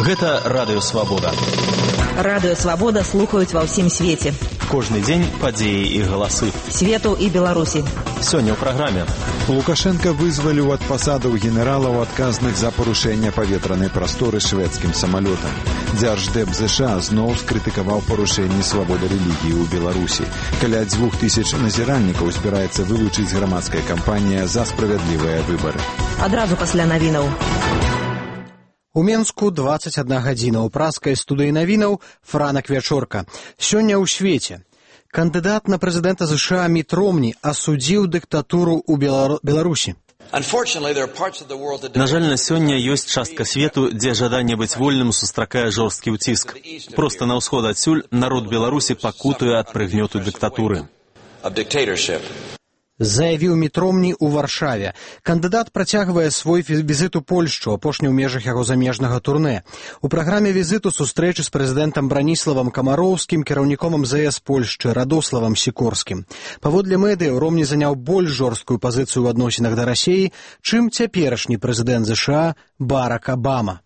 Гэта Радыё Свабода. Радыё Свабода слухаюць ва ўсім свеце. Кожны дзень падзеі і галасы. Свету і Беларусі. Сёння ў праграме. Лукашенко вызваліў ад пасадаў генералаў, адказных за парушэнне паветранай прасторы шведскім самалётам. Дзярждэп ЗША зноў скрытыкаваў парушэнні свабоды рэлігіі ў Беларусі. Каля 2000 назіральнікаў збіраецца вылучыць грамадская кампанія за справядлівыя выбары. Адразу пасля навінаў. У Менску 21 гадзіна. У праскай студыі навінаў Франак Вячорка. Сёння ў свеце. Кандыдат на прэзідэнта ЗША Міт Ромні асудзіў дыктатуру ў Беларусі. На жаль, на сёння ёсць частка свету, дзе жаданне быць вольным сустракае жорсткі ўціск. Проста на ўсход адсюль народ Беларусі пакутуе ад прыгнёту дыктатуры. Заявіў Міт Ромні ў Варшаве. Кандыдат працягвае свой візіт у Польшчу, апошні ў межах яго замежнага турнэ. У праграме візіту сустрэчы з прэзідэнтам Браніславам Камароўскім, кіраўніком МЗС Польшчы Радославам Сікорскім. Паводле медыяў, Ромні заняў больш жорсткую пазіцыю ў адносінах да Расіі, чым цяперашні прэзідэнт ЗША Барак Абама.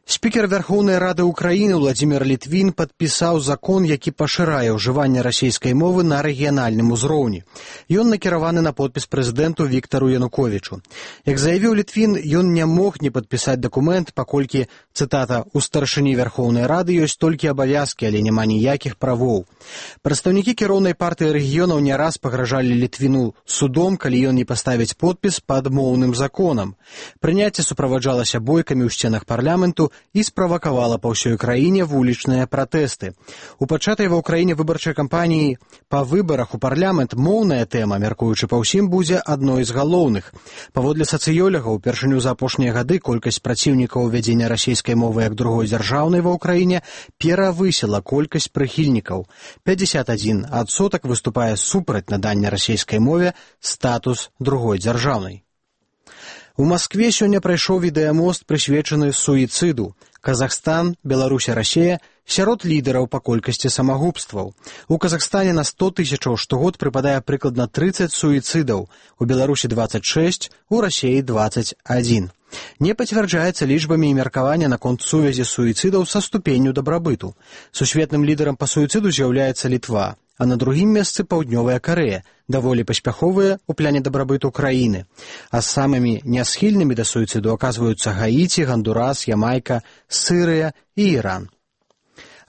Спікер Верхоўнай Рады Украіны Владзімір Літвін падпісаў закон, які пашырае ўжыванне расійскай мовы на рэгіянальным узроўні. Ён накіраваны на подпіс прэзідэнту Віктару Януковічу. Як заявіў Літвін, ён не мог не падпісаць дакумент, паколькі, цытата, «у старшыні Верхоўнай Рады ёсць толькі абавязкі, але няма ніякіх правоў». Прадстаўнікі кіроўнай партыі рэгіёнаў не раз пагражалі Літвіну судом, калі ён не паставіць подпіс пад моўным законам. Прыняцце суправаджалася бойкамі ў сценах парламенту і справакавала па ўсёй краіне вулічныя пратэсты. У пачатай ва ўкраіне выбарчай кампаніі па выбарах у парламент моўная тэма, мяркуючы па ўсім, будзе адной з галоўных. Паводле сацыёлагаў, упершыню за апошнія гады колькасць праціўнікаў увядзення расійскай мовы як другой дзяржаўнай ва ўкраіне перавысіла колькасць прыхільнікаў. 51% выступае супраць надання расійскай мове статус другой дзяржаўнай. У Маскве сёння прайшоў відэамост, прысвечаны суіцыду. Казахстан, Беларусь і Расія сярод лідараў па колькасці самагубстваў. У Казахстане на 100 тысячаў штогод прыпадае прыкладна 30 суіцыдаў, у Беларусі 26, у Расіі 21. Не пацвярджаецца лічбамі і меркавання наконт сувязі суіцыдаў са ступенню дабрабыту. Сусветным лідарам па суіцыду з'яўляецца Літва, а на другім месцы Паўднёвая Карэя, даволі паспяховыя ў пляне дабрабыту краіны. А самымі нясхільнымі да суіцыду аказваюцца Гаіці, Гандурас, Ямайка, Сырыя і Іран.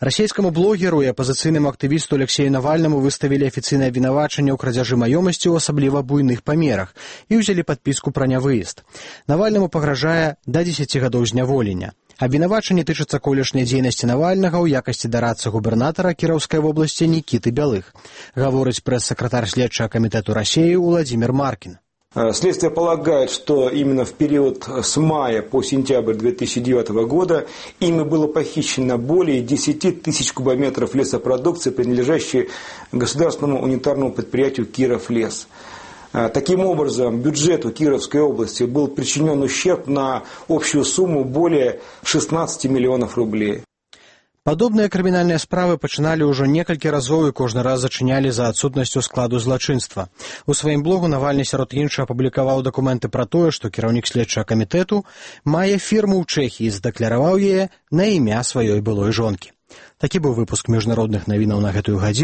Расійскаму блогеру і апазіцыйнаму актывісту Алексею Навальнаму выставілі афіцыйнае абвінавачанне ў крадзяжы маёмасці ў асабліва буйных памерах і ўзялі падпіску пра нявыезд. Навальнаму пагражае да 10 гадоў зняволення. Абвінавачанне тычыцца колішняй дзейнасці Навальнага ў якасці дарадцы губернатара Кіроўскай вобласці Нікіты Бялых, гаворыць прэс-сакратар следчага камітэту Расіі Владзімір Маркін. Следствие полагает, что именно в период с мая по сентябрь 2009 года ими было похищено более 10 тысяч кубометров лесопродукции, принадлежащей государственному унитарному предприятию «Кировлес». Таким образом, бюджету Кировской области был причинен ущерб на общую сумму более 16 миллионов рублей. Падобныя крымінальныя справы пачыналі ўжо некалькі разоў і кожны раз зачынялі за адсутнасцю складу злачынства. У сваім блогу Навальны сярод іншага апублікаваў дакументы пра тое, што кіраўнік следчага камітэту мае фірму ў Чэхіі і задакляраваў яе на імя сваёй былой жонкі. Такі быў выпуск міжнародных навінаў на гэтую гадзіну.